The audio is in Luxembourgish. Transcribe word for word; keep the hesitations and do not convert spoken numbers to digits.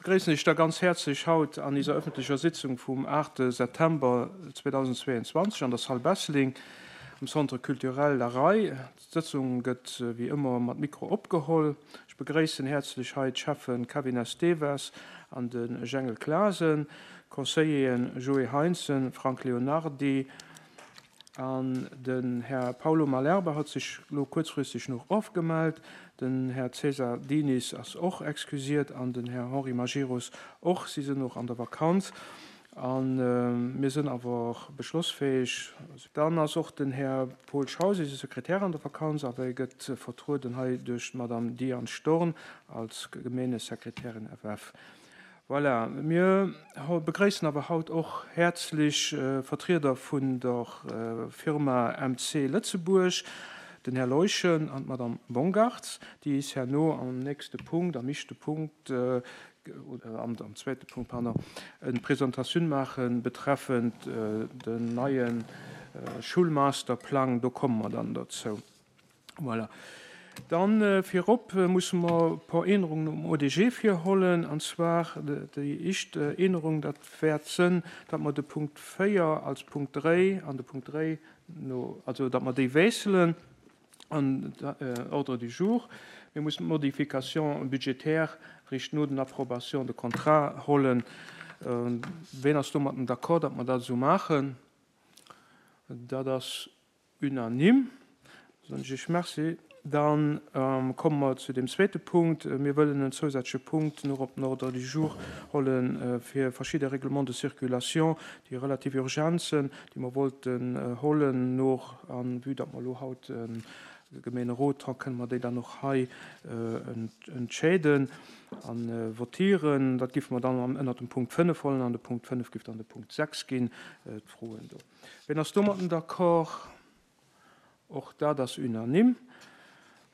begréissen iech da ganz häerzlech haut an iser öffentlecher Sitzung vum aachte September zweedausendzweeanzwanzeg an der Salle Besseling am Centre Culturel La Rei. D'Sëtzung gëtt wéi ëmmer mat Mikro opgeholl. Ech begréissen häerzlech hei d'Schäffen Kevin Esteves an de Jengel Clasen, d'Conseilleren Joé Heintzen, Frank Leonardi an den Här Paulo Malerba huet sech elo kuerzfristeg nach ofgemellt. Den Här César Diniz ass och excusiert an den Här Henri Majerus och. Si sinn och an der Vakanz. A mir sinn awer och beschlossfäeg. Dann ass och den Här Paul Schaus, eise Sekretär, an der Vakanz, awer e gëtt vertrueden hei duerch d'Madame Diane Storn als Gemeengesekretärin F F. Voilà, mir begréissen awer haut och häerzlech Vertrieder vun der Firma M C Lëtzebuerg, den Här Leuschen an d'Madame Bongartz, déi is herno am nächste Punkt, am éischte Punkt, oder am zweete Punkt, pardon, eng Presentatioun maachen betreffend den neie Schulmasterplang. Do komme mer dann dozou. Voilà. Dann virop musse mer e puer Ännerungen um O D G virhollen, an zwar déi éischt Ännerung, dat wäert sënn, datt mer de Punkt véier als Punkt dräi an de Punkt dräi no, also datt mer déi wiesselen an Ordre du jour. Mir mussen d'Modification budgétaire richt no den Approbation de contrat hollen. Ween ass domatten d'accord, datt mer dat esou maachen? Dat ass unanime. Soen ech iech Merci. Dann komme mer zu dem zweete Punkt. Mir wëllen en zousätzleche Punkt nach op den Ordre du jour hollen fir verschidde Règlements de circulation, déi relativ urgent sinn, déi mer wollten hollen noch, an vue datt mer elo haut e Gemeenerot hu, kënne mer déi dann och hei entscheeden a votieren. Dat géife mer dann ënnert dem Punkt fënnef hollen, an de Punkt fënnef géif dann de Punkt sechs ginn, d'Froen do. Ween ass domatten d'accord? Och dat ass unanime.